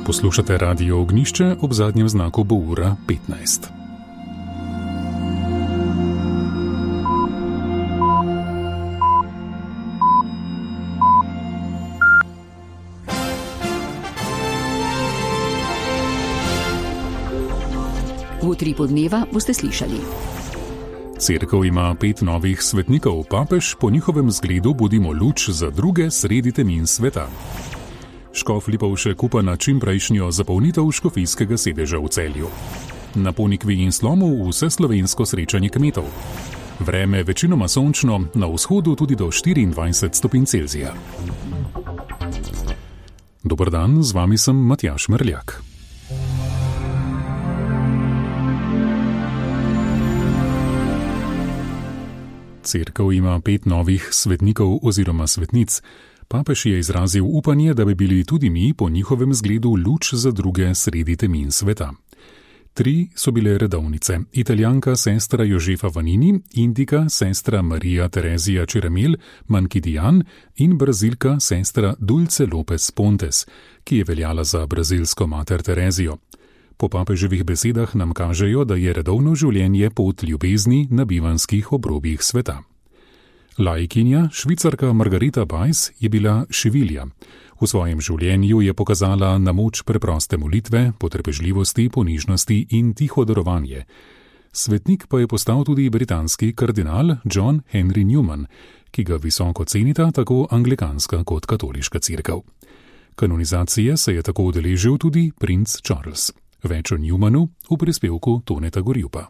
Poslušate Radio Ognjišče, ob zadnjem znaku bo ura 15. V utripu dneva boste slišali. Cerkev ima 5 novih svetnikov, papež po njihovem zgledu budimo luč za druge sredi temin sveta. Škof Lipovšek upa na čimprejšnjo zapolnitev škofijskega sedeža v Celju. Na Ponikvi in Slomu vseslovensko srečanje kmetov. Vreme večinoma sončno, na vzhodu tudi do 24 stopinj Celzija. Dober dan, z vami sem Matjaž Merljak. Cerkev ima 5 novih svetnikov oziroma svetnic. Papež je izrazil upanje, da bi bili tudi mi po njihovem zgledu luč za druge sredi temin sveta. 3 so bile redovnice: Italijanka sestra Jožefa Vanini, Indika sestra Marija Terezija Čeremel Mankidian in Brazilka sestra Dulce Lopez Pontes, ki je veljala za brazilsko mater Terezijo. Po papeževih besedah nam kažejo, da je redovno življenje pot ljubezni na bivanskih obrobjih sveta. Laikinja, Švicarka Margarita Bajs, je bila šivilja. V svojem življenju je pokazala na moč preproste molitve, potrpežljivosti, ponižnosti in tiho darovanje. Svetnik pa je postal tudi britanski kardinal John Henry Newman, ki ga visoko cenita tako anglikanska kot katoliška cerkev. Kanonizacije se je tako udeležil tudi princ Charles. Več o Newmanu v prispevku Toneta Gorjupa.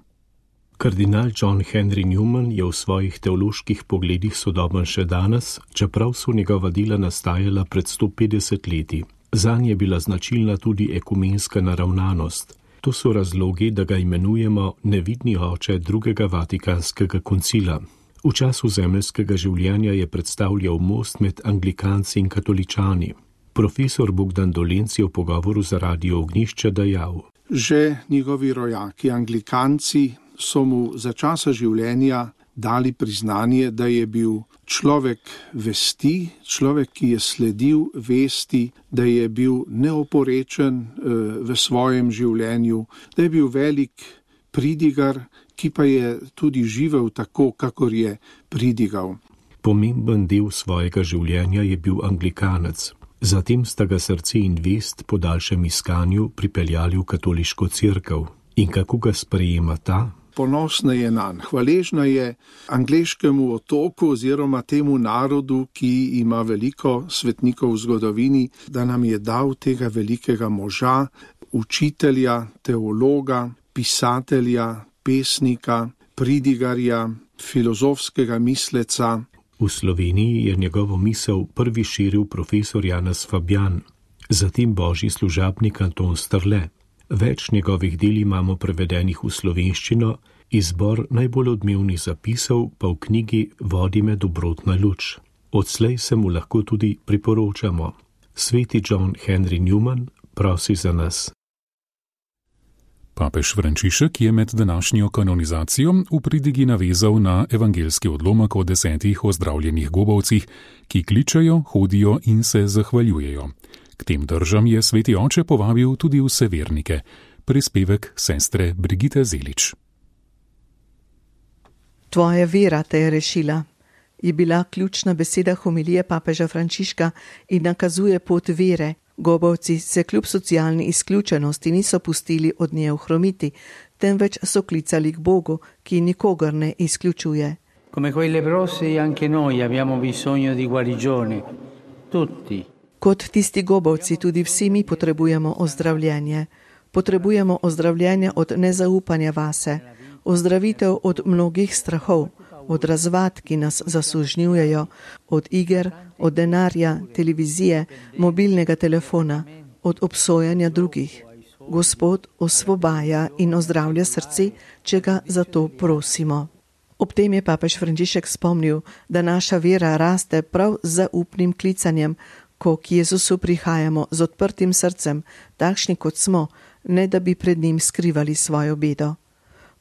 Kardinal John Henry Newman je v svojih teoloških pogledih sodoben še danes, čeprav so njegova dela nastajala pred 150 leti. Zanj je bila značilna tudi ekumenska naravnanost. To so razlogi, da ga imenujemo nevidni oče drugega vatikanskega koncila. V času zemeljskega življenja je predstavljal most med anglikanci in katoličani. Profesor Bogdan Dolenc je v pogovoru za Radio Ognjišče dejal: Že njegovi rojaki, anglikanci, so mu za časa življenja dali priznanje, da je bil človek vesti, človek, ki je sledil vesti, da je bil neoporečen v svojem življenju, da je bil velik pridigar, ki pa je tudi živel tako, kakor je pridigal. Pomemben del svojega življenja je bil anglikanec. Zatem sta ga srce in vest po daljšem iskanju pripeljali v katoliško cerkev. In kako ga sprejema ta? Ponosna je nanj, hvaležna je angleškemu otoku oziroma temu narodu, ki ima veliko svetnikov v zgodovini, da nam je dal tega velikega moža, učitelja, teologa, pisatelja, pesnika, pridigarja, filozofskega misleca. V Sloveniji je njegovo misel prvi širil profesor Janez Fabjan, zatem božji služabnik Anton Strle. Več njegovih del imamo prevedenih v slovenščino, izbor najbolj odmevnih zapisov pa v knjigi Vodi me dobrotna luč. Odslej se mu lahko tudi priporočamo. Sveti John Henry Newman prosi za nas. Papež Frančišek je med današnjo kanonizacijo v pridigi navezal na evangelski odlomek o 10 ozdravljenih gobavcih, ki kličejo, hodijo in se zahvaljujejo. K tem držam je sveti oče povabil tudi vse vernike. Prispevek sestre Brigite Zelič. Tvoja vera te je rešila, je bila ključna beseda homilije papeža Frančiška in nakazuje pot vere. Gobavci se kljub socialni izključenosti niso pustili od nje ohromiti, temveč so klicali k Bogu, ki nikogar ne izključuje. Come quei leprosi anche noi abbiamo bisogno di guarigione. Tutti. Kot tisti gobavci tudi vsi mi potrebujemo ozdravljenje. Potrebujemo ozdravljenje od nezaupanja vase, ozdravitev od mnogih strahov, od razvad, ki nas zasužnjujejo, od iger, od denarja, televizije, mobilnega telefona, od obsojanja drugih. Gospod osvobaja in ozdravlja srce, če ga za to prosimo. Ob tem je papež Frančišek spomnil, da naša vera raste prav z zaupnim klicanjem, ko k Jezusu prihajamo z odprtim srcem, takšni kot smo, ne da bi pred njim skrivali svojo bedo.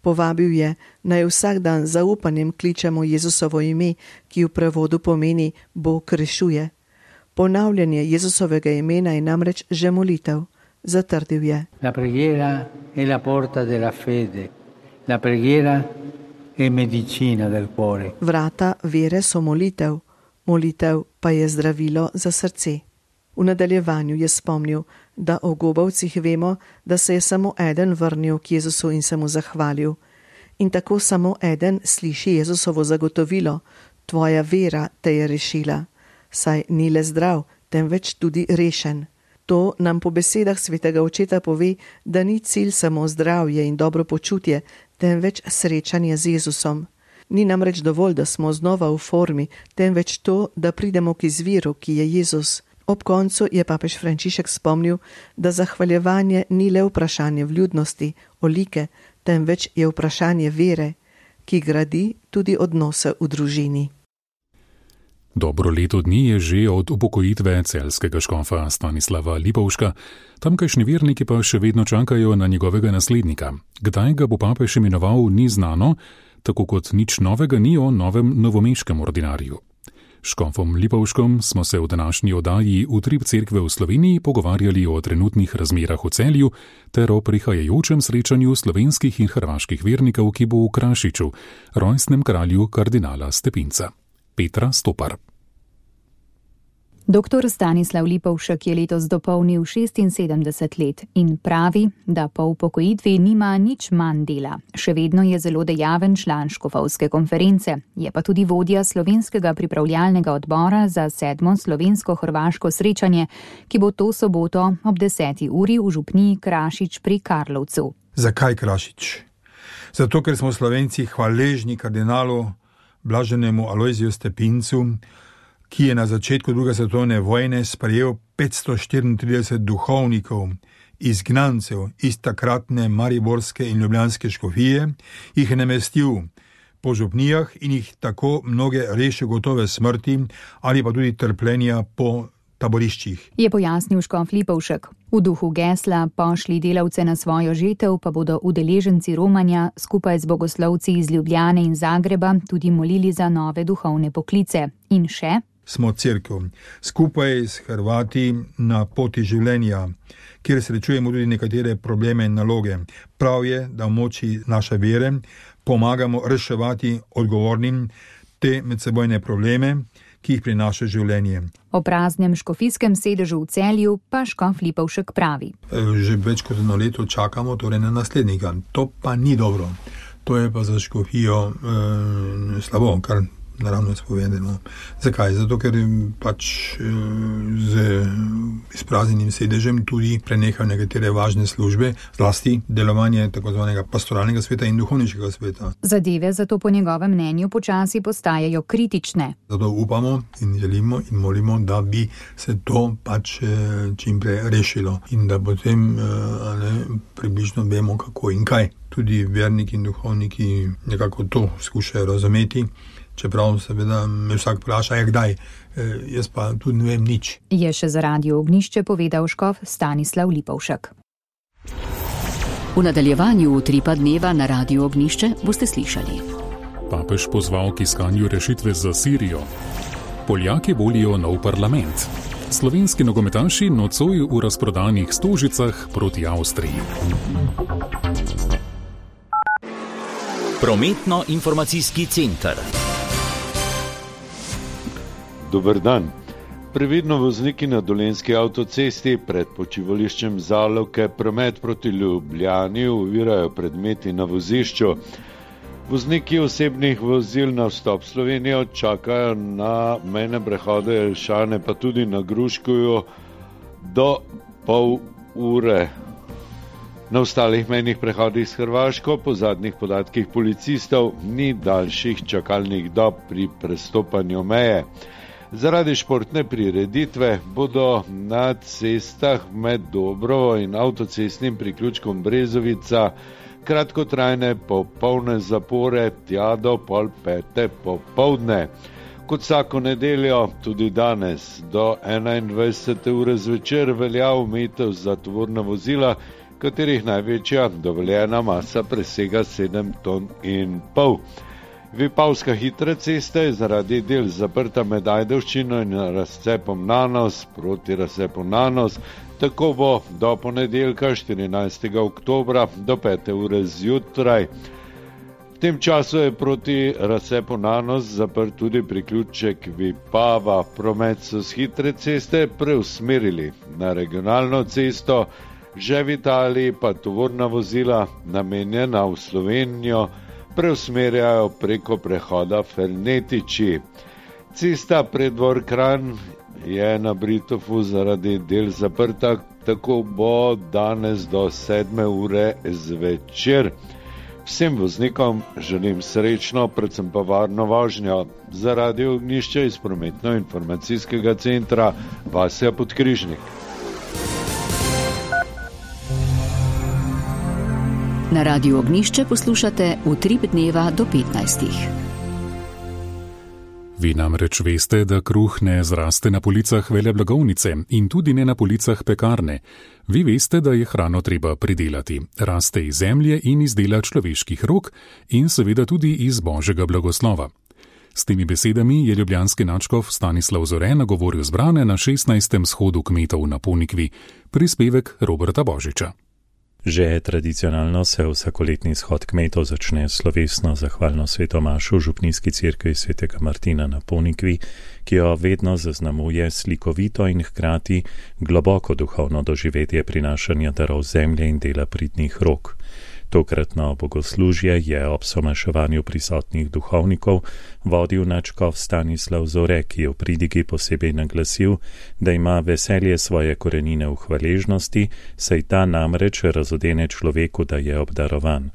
Povabil je, naj vsak dan z zaupanjem kličemo Jezusovo ime, ki v prevodu pomeni Bog rešuje. Ponavljanje Jezusovega imena je namreč že molitev. Zatrdil je: La preghiera è la porta della fede. La preghiera è medicina del cuore. Vrata vere so molitev, molitev pa je zdravilo za srce. V nadaljevanju je spomnil, da o gobavcih vemo, da se je samo eden vrnil k Jezusu in se mu zahvalil. In tako samo eden sliši Jezusovo zagotovilo: tvoja vera te je rešila. Saj ni le zdrav, temveč tudi rešen. To nam po besedah svetega očeta pove, da ni cilj samo zdravje in dobro počutje, temveč srečanje z Jezusom. Ni namreč dovolj, da smo znova v formi, temveč to, da pridemo k izviru, ki je Jezus. Ob koncu je papež Frančišek spomnil, da zahvaljevanje ni le vprašanje vljudnosti, olike, temveč je vprašanje vere, ki gradi tudi odnose v družini. Dobro leto dni je že od upokojitve celjskega škofa Stanislava Lipovška, tamkajšnji verniki pa še vedno čakajo na njegovega naslednika. Kdaj ga bo papež imenoval, ni znano, tako kot nič novega ni o novem novomeškem ordinarju. Škofom Lipovškom smo se v današnji oddaji Utrip cerkve v Sloveniji pogovarjali o trenutnih razmerah v Celju ter o prihajajočem srečanju slovenskih in hrvaških vernikov, ki bo v Krašiču, rojstnem kralju kardinala Stepinca. Petra Stopar. Doktor Stanislav Lipovšek je letos dopolnil 76 let in pravi, da po upokojitvi nima nič manj dela. Še vedno je zelo dejaven član škofovske konference, je pa tudi vodja slovenskega pripravljalnega odbora za 7. slovensko-hrvaško srečanje, ki bo to soboto ob 10. uri v župniji Krašič pri Karlovcu. Zakaj Krašič? Zato, ker smo Slovenci hvaležni kardinalu blaženemu Alojziju Stepincu, ki je na začetku druge svetovne vojne sprejel 534 duhovnikov, izgnancev iz takratne mariborske in ljubljanske škofije, jih namestil po župnijah in jih tako mnoge rešil gotove smrti ali pa tudi trpljenja po taboriščih. Je pojasnil škof Lipovšek. V duhu gesla Pošli delavce na svojo žetev pa bodo udeleženci romanja skupaj z bogoslovci iz Ljubljane in Zagreba tudi molili za nove duhovne poklice. In še? Smo cerkev, skupaj s Hrvati na poti življenja, kjer srečujemo tudi nekatere probleme in naloge. Prav je, da v moči naše vere pomagamo reševati odgovornim te medsebojne probleme, ki jih prinaša življenje. O praznem škofijskem sedežu v Celju pa škof Lipovšek pravi. Že več kot 1 leto čakamo torej na naslednika. To pa ni dobro. To je pa za škofijo slabo, kar naravno spovedeno. Zakaj? Zato, ker pač z izpraznjenim sedežem tudi prenehajo nekatere važne službe, zlasti delovanje tako zvanega pastoralnega sveta in duhovniškega sveta. Zadeve zato po njegovem mnenju počasi postajajo kritične. Zato upamo in želimo in molimo, da bi se to pač čim prej rešilo in da potem približno vemo, kako in kaj. Tudi verniki in duhovniki nekako to skušajo razumeti. Čeprav seveda me vsak vpraša, kdaj, jaz pa tudi ne vem nič. Je še za Radio Ognjišče povedal škof Stanislav Lipovšek. V nadaljevanju Utripa dneva na Radio Ognjišče boste slišali. Papež pozval k iskanju rešitve za Sirijo. Poljaki volijo nov parlament. Slovenski nogometaši nocoj v razprodanih Stožicah proti Avstriji. Prometno-informacijski center. Dober dan. Previdno vozniki na Dolenjski avtocesti pred počivališčem Zalovke promet proti Ljubljani ovirajo predmeti na vozišču. Vozniki osebnih vozil na vstop Slovenijo čakajo na mejne prehode Jelšane, pa tudi na Gruškovju do pol ure. Na ostalih mejnih prehodih s Hrvaško po zadnjih podatkih policistov ni daljših čakalnih dob pri prestopanju meje. Zaradi športne prireditve bodo na cestah med Dobrovo in avtocestnim priključkom Brezovica kratkotrajne popolne zapore tja do 4:30 popoldne. Kot vsako nedeljo, tudi danes do 21. ure zvečer velja omejitev za tovorna vozila, katerih največja dovoljena masa presega 7,5 ton. Vipavska hitra cesta je zaradi del zaprta med Ajdovščino in razcepom Nanos proti razcepu Nanos. Tako bo do ponedeljka 14. oktobra do 5. ure zjutraj. V tem času je proti razcepu Nanos zaprt tudi priključek Vipava. Promet so s hitre ceste preusmerili na regionalno cesto, že v Italiji pa tovorna vozila namenjena v Slovenijo preusmerjajo preko prehoda Fernetiči. Cesta Preddvor Kranj je na Britofu zaradi del zaprta, tako bo danes do 7. ure zvečer. Vsem voznikom želim srečno, predvsem pa varno vožnjo. Za Radio Ognjišče iz prometno-informacijskega centra Vasja Podkrižnik. Na Radiu Ognjišče poslušate Utrip dneva do 15. Vi namreč veste, da kruh ne zraste na policah veleblagovnice in tudi ne na policah pekarne. Vi veste, da je hrano treba pridelati. Raste iz zemlje in iz dela človeških rok in seveda tudi iz božjega blagoslova. S temi besedami je ljubljanski nadškof Stanislav Zore nagovoril zbrane na 16. shodu kmetov na Ponikvi, prispevek Roberta Božiča. Že tradicionalno se vsakoletni shod kmetov začne slovesno zahvalno svetomašo v župnijski cerkvi svetega Martina na Ponikvi, ki jo vedno zaznamuje slikovito in hkrati globoko duhovno doživetje prinašanja darov zemlje in dela pridnih rok. Tokratno bogoslužje je ob somaševanju prisotnih duhovnikov vodil nadškof Stanislav Zore, ki je v pridigi posebej naglasil, da ima veselje svoje korenine v hvaležnosti, saj ta namreč razodene človeku, da je obdarovan.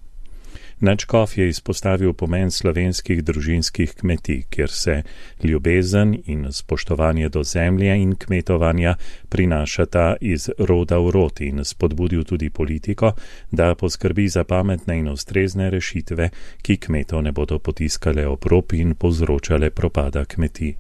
Nadškof je izpostavil pomen slovenskih družinskih kmetij, kjer se ljubezen in spoštovanje do zemlje in kmetovanja prinašata iz roda v rod in spodbudil tudi politiko, da poskrbi za pametne in ustrezne rešitve, ki kmetov ne bodo potiskale ob rob in povzročale propada kmetij.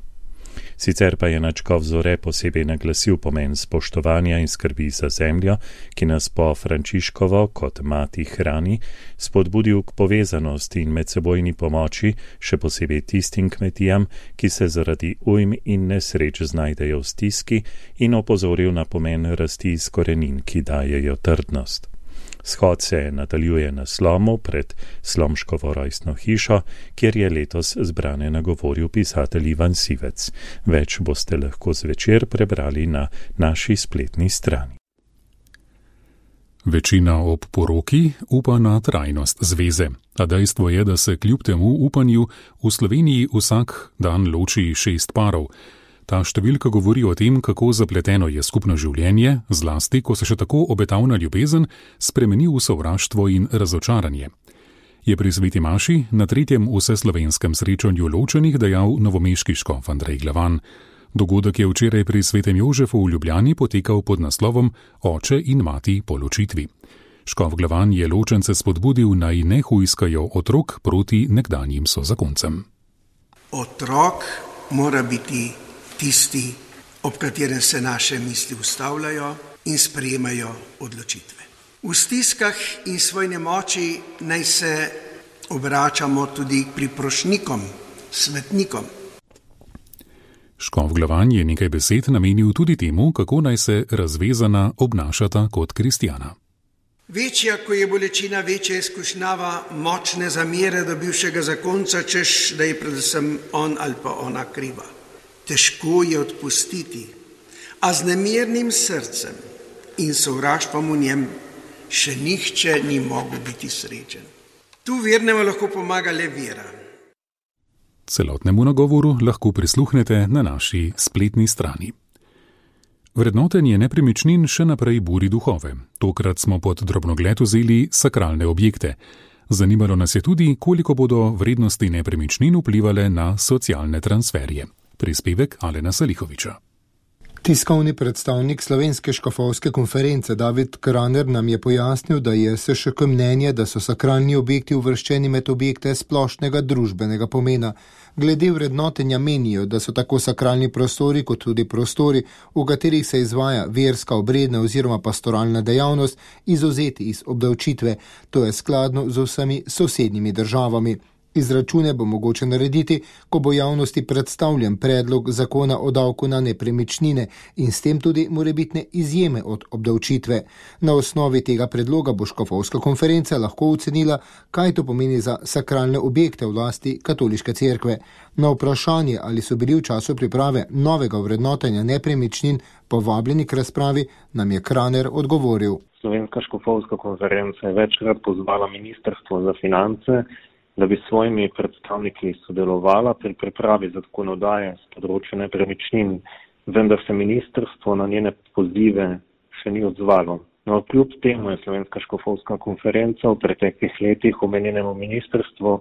Sicer pa je nadškof Zore posebej naglasil pomen spoštovanja in skrbi za zemljo, ki nas po Frančiškovo kot mati hrani, spodbudil k povezanosti in medsebojni pomoči, še posebej tistim kmetijam, ki se zaradi ujm in nesreč znajdejo v stiski, in opozoril na pomen rasti iz korenin, ki dajejo trdnost. Shod se nadaljuje na Slomu pred Slomškovo rojstno hišo, kjer je letos zbrane nagovoril pisatelj Ivan Sivec. Več boste lahko zvečer prebrali na naši spletni strani. Večina ob poroki upa na trajnost zveze, a dejstvo je, da se kljub temu upanju v Sloveniji vsak dan loči 6 parov. Ta številka govori o tem, kako zapleteno je skupno življenje, zlasti, ko se še tako obetavna ljubezen spremeni v sovraštvo in razočaranje. Je pri sveti maši na 3. vseslovenskem srečanju ločenih dejal novomeški škof Andrej Glavan. Dogodek je včeraj pri svetem Jožefu v Ljubljani potekal pod naslovom Oče in mati po ločitvi. Škof Glavan je ločence spodbudil, naj ne hujskajo otrok proti nekdanjim sozakoncem. Otrok mora biti tisti, ob katerem se naše misli ustavljajo in sprejemajo odločitve. V stiskah in svoj nemoči naj se obračamo tudi k priprošnikom, svetnikom. Škof Glavan je nekaj besed namenil tudi temu, kako naj se razvezana obnašata kot kristjana. Večja, ko je bolečina, večja izkušnjava močne zamere do bivšega zakonca, češ, da je predvsem on ali pa ona kriva. Težko je odpustiti, a z nemirnim srcem in sovraštvom v njem še nihče ni mogel biti srečen. Tu vernemu lahko pomaga le vera. Celotnemu nagovoru lahko prisluhnete na naši spletni strani. Vrednotenje nepremičnin še naprej buri duhove. Tokrat smo pod drobnogled vzeli sakralne objekte. Zanimalo nas je tudi, koliko bodo vrednosti nepremičnin vplivale na socialne transferje. Prispevek Alena Salihoviča. Tiskovni predstavnik Slovenske škofovske konference David Kraner nam je pojasnil, da je SŠK mnenje, da so sakralni objekti uvrščeni med objekte splošnega družbenega pomena. Glede vrednotenja menijo, da so tako sakralni prostori kot tudi prostori, v katerih se izvaja verska, obredna oziroma pastoralna dejavnost, izvzeti iz obdavčitve. To je skladno z vsemi sosednjimi državami. Izračune bo mogoče narediti, ko bo javnosti predstavljen predlog zakona o davku na nepremičnine in s tem tudi morebitne izjeme od obdavčitve. Na osnovi tega predloga bo škofovska konferenca lahko ocenila, kaj to pomeni za sakralne objekte v lasti katoliške cerkve. Na vprašanje, ali so bili v času priprave novega vrednotenja nepremičnin povabljeni k razpravi, nam je Kraner odgovoril. Slovenska škofovska konferenca je večkrat pozvala Ministrstvo za finance, da bi s svojimi predstavniki sodelovala pri pripravi zakonodaje z področja nepremičnin, vendar se ministrstvo na njene pozive še ni odzvalo. No, kljub temu je Slovenska škofovska konferenca v preteklih letih omenjenemu ministrstvu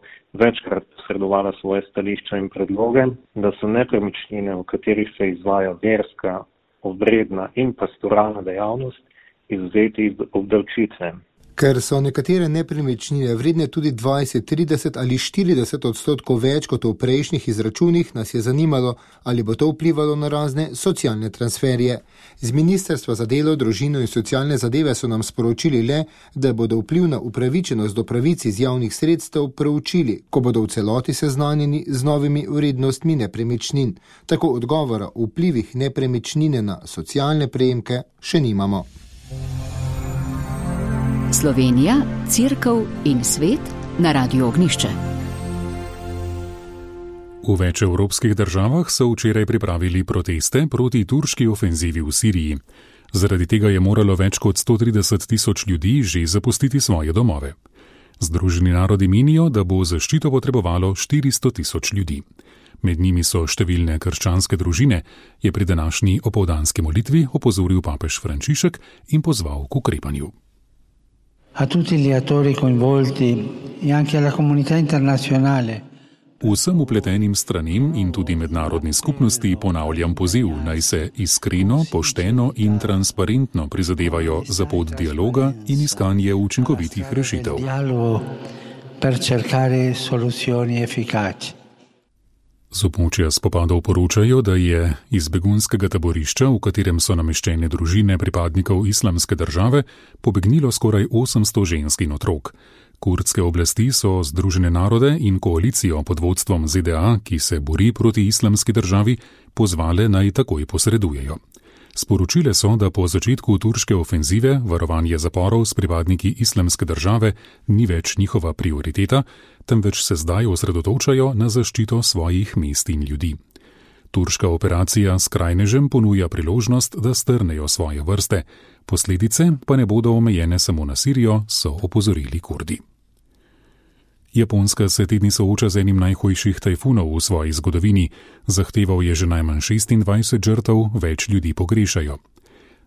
večkrat posredovala svoje stališča in predloge, da so nepremičnine, v katerih se izvaja verska, obredna in pastoralna dejavnost, izvzeti iz obdavčitve. Ker so nekatere nepremičnine vredne tudi 20, 30 ali 40% več kot v prejšnjih izračunih, nas je zanimalo, ali bo to vplivalo na razne socialne transferje. Z Ministrstva za delo, družino in socialne zadeve so nam sporočili le, da bodo vpliv na upravičenost do pravic iz javnih sredstev preučili, ko bodo v celoti seznanjeni z novimi vrednostmi nepremičnin. Tako odgovora o vplivih nepremičnine na socialne prejemke še nimamo. Slovenija, Cerkev in svet na Radiu Ognjišče. V več evropskih državah so včeraj pripravili proteste proti turški ofenzivi v Siriji. Zaradi tega je moralo več kot 130.000 ljudi že zapustiti svoje domove. Združeni narodi menijo, da bo zaščito potrebovalo 400.000 ljudi. Med njimi so številne krščanske družine, je pri današnji opoldanski molitvi opozoril papež Frančišek in pozval k ukrepanju. A tutti gli attori coinvolti e anche alla comunità internazionale. Vsem upletenim stranem in tudi mednarodni skupnosti ponavljam poziv, naj se iskreno, pošteno in transparentno prizadevajo za pot dialoga in iskanje učinkovitih rešitev. Per cercare soluzioni efficaci. Z območja spopadov poročajo, da je iz begunskega taborišča, v katerem so nameščene družine pripadnikov Islamske države, pobegnilo skoraj 800 žensk in otrok. Kurdske oblasti so Združene narode in koalicijo pod vodstvom ZDA, ki se bori proti Islamski državi, pozvale naj takoj posredujejo. Sporočile so, da po začetku turške ofenzive varovanje zaporov s pripadniki Islamske države ni več njihova prioriteta, temveč se zdaj osredotočajo na zaščito svojih mest in ljudi. Turška operacija skrajnežem ponuja priložnost, da strnejo svoje vrste, posledice pa ne bodo omejene samo na Sirijo, so opozorili Kurdi. Japonska se te dni sooča z enim najhujših tajfunov v svoji zgodovini, zahteval je že najmanj 26 žrtev, več ljudi pogrešajo.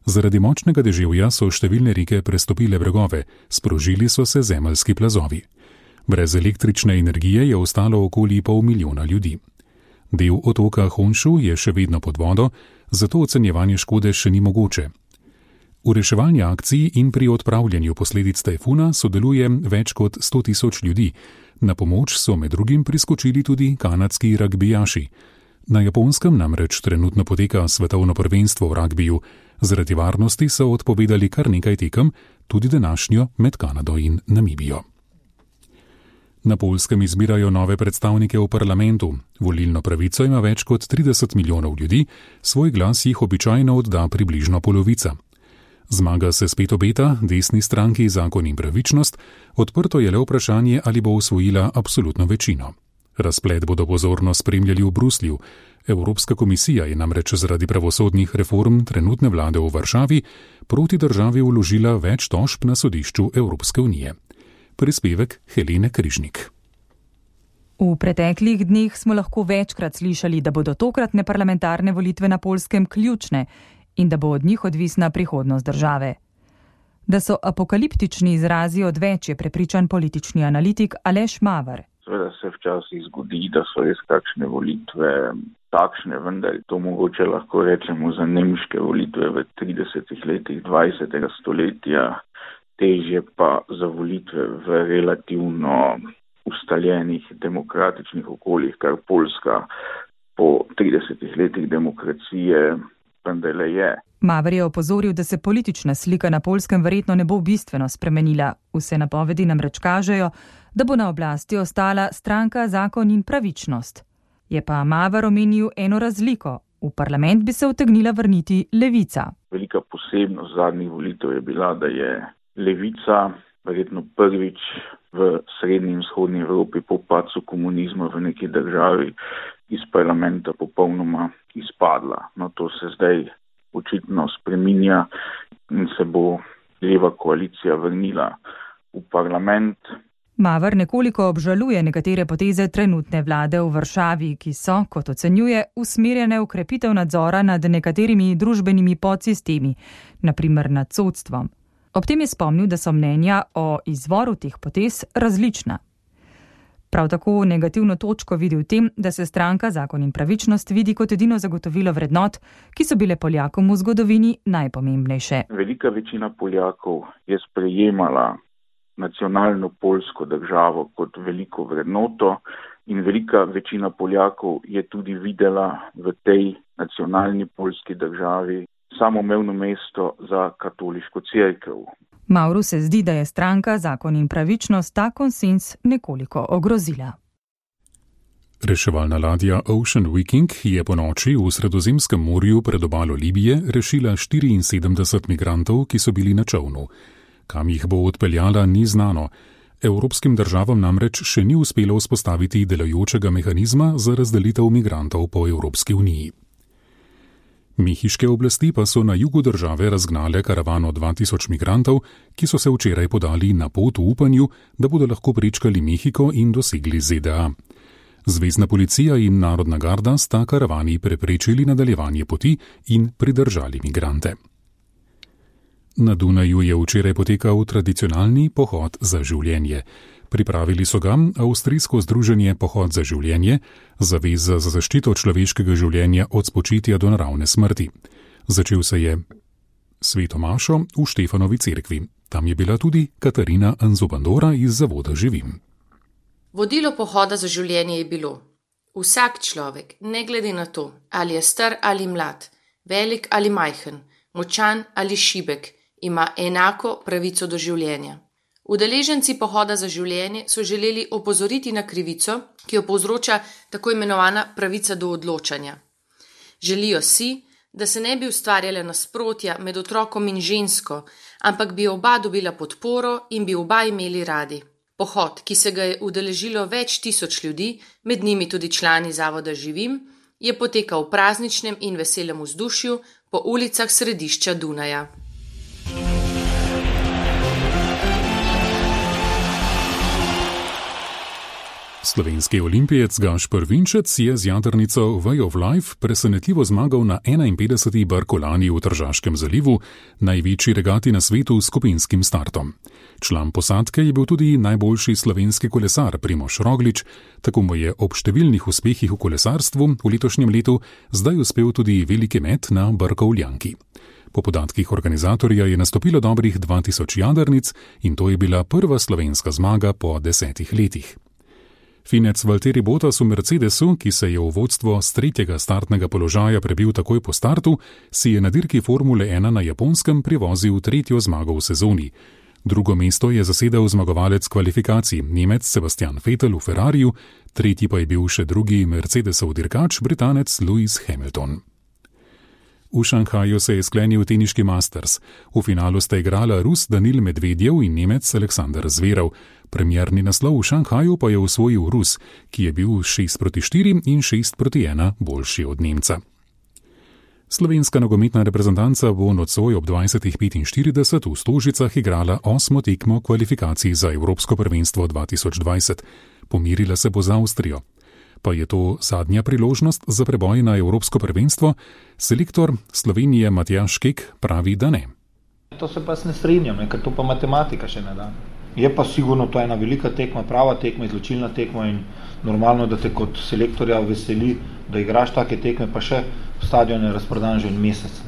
Zaradi močnega deževja so številne reke prestopile bregove, sprožili so se zemeljski plazovi. Brez električne energije je ostalo okoli 500.000 ljudi. Del otoka Honshu je še vedno pod vodo, zato ocenjevanje škode še ni mogoče. V reševanju akcij in pri odpravljanju posledic tajfuna sodeluje več kot 100.000 ljudi. Na pomoč so med drugim priskočili tudi kanadski ragbijaši. Na Japonskem namreč trenutno poteka svetovno prvenstvo v ragbiju. Zaradi varnosti so odpovedali kar nekaj tekem, tudi današnjo med Kanado in Namibijo. Na Poljskem izbirajo nove predstavnike v parlamentu. Volilno pravico ima več kot 30 milijonov ljudi, svoj glas jih običajno odda približno polovica. Zmaga se spet obeta desni stranki Zakon in pravičnost, odprto je le vprašanje, ali bo osvojila absolutno večino. Razplet bodo pozorno spremljali v Bruslju. Evropska komisija je namreč zaradi pravosodnih reform trenutne vlade v Varšavi proti državi vložila več tožb na sodišču Evropske unije. Prispevek Helene Križnik. V preteklih dneh smo lahko večkrat slišali, da bodo tokratne parlamentarne volitve na Poljskem ključne in da bo od njih odvisna prihodnost države. Da so apokaliptični izrazi odveč, je prepričan politični analitik Aleš Mavar. Seveda se včasih zgodi, da so res kakšne volitve takšne, vendar to mogoče lahko rečemo za nemške volitve v 30 letih 20. stoletja, težje pa za volitve v relativno ustaljenih demokratičnih okoljih, kar Poljska po 30 letih demokracije vendar je. Maver je opozoril, da se politična slika na Poljskem verjetno ne bo bistveno spremenila. Vse napovedi namreč kažejo, da bo na oblasti ostala stranka Zakon in pravičnost. Je pa Maver omenil eno razliko. V parlament bi se utegnila vrniti Levica. Velika posebnost zadnjih volitev je bila, da je Levica verjetno prvič v srednji in vzhodni Evropi po padcu komunizma v neki državi iz parlamenta popolnoma izpadla. No, to se zdaj očitno spreminja in se bo leva koalicija vrnila v parlament. Maver nekoliko obžaluje nekatere poteze trenutne vlade v Varšavi, ki so, kot ocenjuje, usmerjene v krepitev nadzora nad nekaterimi družbenimi podsistemi, naprimer nad sodstvom. Ob tem je spomnil, da so mnenja o izvoru teh potez različna. Prav tako negativno točko vidi v tem, da se stranka Zakon in pravičnost vidi kot edino zagotovilo vrednot, ki so bile Poljakom v zgodovini najpomembnejše. Velika večina Poljakov je sprejemala nacionalno poljsko državo kot veliko vrednoto in velika večina Poljakov je tudi videla v tej nacionalni poljski državi samoumevno mesto za katoliško cerkev. Mavru se zdi, da je stranka Zakon in pravičnost ta konsenz nekoliko ogrozila. Reševalna ladja Ocean Viking je po noči v Sredozemskem morju pred obalo Libije rešila 74 migrantov, ki so bili na čolnu. Kam jih bo odpeljala, ni znano. Evropskim državam namreč še ni uspelo vzpostaviti delujočega mehanizma za razdelitev migrantov po Evropski uniji. Mehiške oblasti pa so na jugu države razgnale karavano 2000 migrantov, ki so se včeraj podali na pot v upanju, da bodo lahko prečkali Mehiko in dosegli ZDA. Zvezna policija in Narodna garda sta karavani preprečili nadaljevanje poti in pridržali migrante. Na Dunaju je včeraj potekal tradicionalni pohod za življenje. Pripravili so ga avstrijsko združenje Pohod za življenje, zaveza za zaščito človeškega življenja od spočitja do naravne smrti. Začel se je sveto mašo v Štefanovi cerkvi. Tam je bila tudi Katarina Anzobandora iz Zavoda Živim. Vodilo Pohoda za življenje je bilo: vsak človek, ne glede na to, ali je star ali mlad, velik ali majhen, močan ali šibek, ima enako pravico do življenja. Udeleženci Pohoda za življenje so želeli opozoriti na krivico, ki jo povzroča tako imenovana pravica do odločanja. Želijo si, da se ne bi ustvarjala nasprotja med otrokom in žensko, ampak bi oba dobila podporo in bi oba imeli radi. Pohod, ki se ga je udeležilo več tisoč ljudi, med njimi tudi člani Zavoda Živim, je potekal v prazničnem in veselem vzdušju po ulicah središča Dunaja. Slovenski olimpijec Gašper Vinčec je z jadrnico Way of Life presenetljivo zmagal na 51. Barkolani v Tržaškem zalivu, največji regati na svetu s skupinskim startom. Član posadke je bil tudi najboljši slovenski kolesar Primož Roglič, tako mu je ob številnih uspehih v kolesarstvu v letošnjem letu zdaj uspel tudi veliki met na Barkovljanki. Po podatkih organizatorja je nastopilo dobrih 2000 jadrnic in to je bila prva slovenska zmaga po 10 letih. Finec Valtteri Bottas v Mercedesu, ki se je v vodstvo s 3. startnega položaja prebil takoj po startu, si je na dirki Formule 1 na Japonskem privozil 3. zmago v sezoni. Drugo mesto je zasedel zmagovalec kvalifikacij, Nemec Sebastian Vettel v Ferrariju, tretji pa je bil še drugi Mercedesov dirkač, Britanec Lewis Hamilton. V Šanghaju se je sklenil teniški Masters. V finalu sta igrala Rus Danil Medvedjev in Nemec Aleksander Zverev. Premierni naslov v Šanghaju pa je osvojil Rus, ki je bil 6-4 in 6-1 boljši od Nemca. Slovenska nogometna reprezentanca bo nocoj ob 20:45 v Stožicah igrala 8. tekmo kvalifikacij za Evropsko prvenstvo 2020. Pomirila se bo z Avstrijo. Pa je to zadnja priložnost za preboj na Evropsko prvenstvo? Selektor Slovenije Matjaž Kek pravi, da ne. To se pa ne strinjam, ker to pa matematika še ne da. Je pa sigurno to ena velika tekma, prava tekma, izločilna tekma in normalno, da te kot selektorja veseli, da igraš take tekme, pa še stadion je razprodan že en mesec.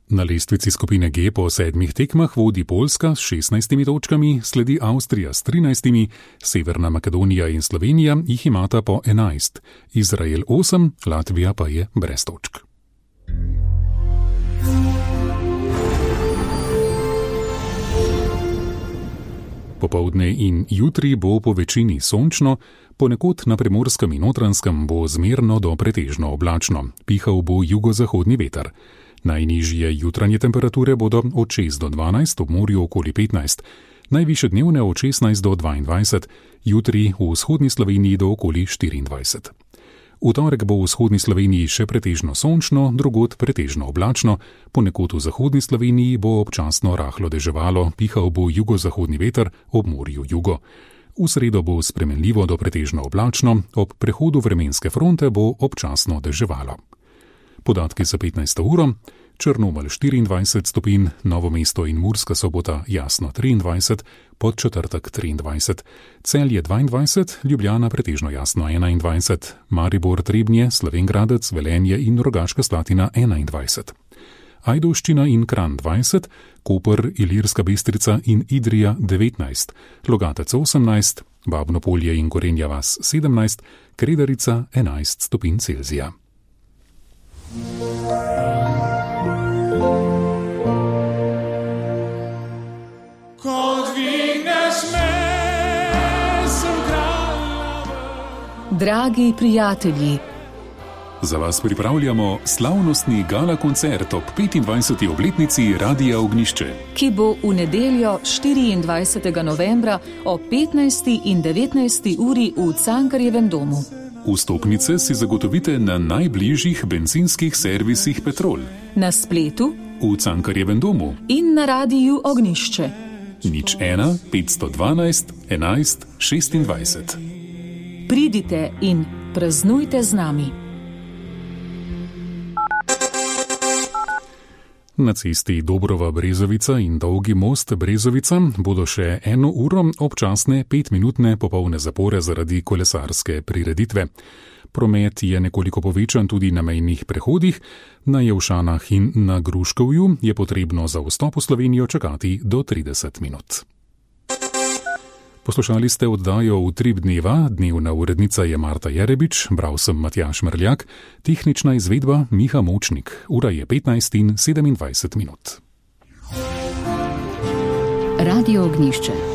Na lestvici skupine G po 7 tekmah vodi Poljska s 16 točkami, sledi Avstrija s 13, Severna Makedonija in Slovenija jih imata po 11, Izrael 8, Latvija pa je brez točk. Popoldne in jutri bo po večini sončno, ponekod na Primorskem in Notranjskem bo zmerno do pretežno oblačno, pihal bo jugozahodni veter. Najnižje jutranje temperature bodo od 6 do 12, ob morju okoli 15, najvišje dnevne od 16 do 22, jutri v vzhodni Sloveniji do okoli 24. V torek bo v vzhodni Sloveniji še pretežno sončno, drugod pretežno oblačno, ponekod v zahodni Sloveniji bo občasno rahlo deževalo, pihal bo jugozahodni veter, ob morju jugo. V sredo bo spremenljivo do pretežno oblačno, ob prehodu vremenske fronte bo občasno deževalo. Podatki za 15. uro: Črnomelj 24 stopinj, Novo mesto in Murska Sobota jasno 23, Podčetrtek 23, Celje 22, Ljubljana pretežno jasno 21, Maribor, Trebnje, Slovenj Gradec, Velenje in Rogaška Slatina 21. Ajdovščina in Kranj 20, Koper, Ilirska Bistrica in Idrija 19, Logatec 18, Babno Polje in Gorenja vas 17, Kredarica 11 stopinj Celzija. Dragi prijatelji, za vas pripravljamo slavnostni gala koncert ob 25. obletnici Radia Ognjišče, ki bo v nedeljo 24. novembra ob 15. in 19. uri v Cankarjevem domu. Vstopnice si zagotovite na najbližjih bencinskih servisih Petrol, na spletu, v Cankarjevem domu in na Radiu Ognjišče. 01 512 11 26. Pridite in praznujte z nami. Na cesti Dobrova-Brezovica in Dolgi most Brezovica bodo še 1 uro občasne 5-minutne popolne zapore zaradi kolesarske prireditve. Promet je nekoliko povečan tudi na mejnih prehodih, na Jevšanah in na Gruškovju je potrebno za vstop v Slovenijo čakati do 30 minut. Poslušali ste oddajo Utrip dneva, dnevna urednica je Marta Jerebič, bral sem Matjaž Mrljak, tehnična izvedba Miha Močnik, ura je 15 in 27 minut. Radio Ognjišče.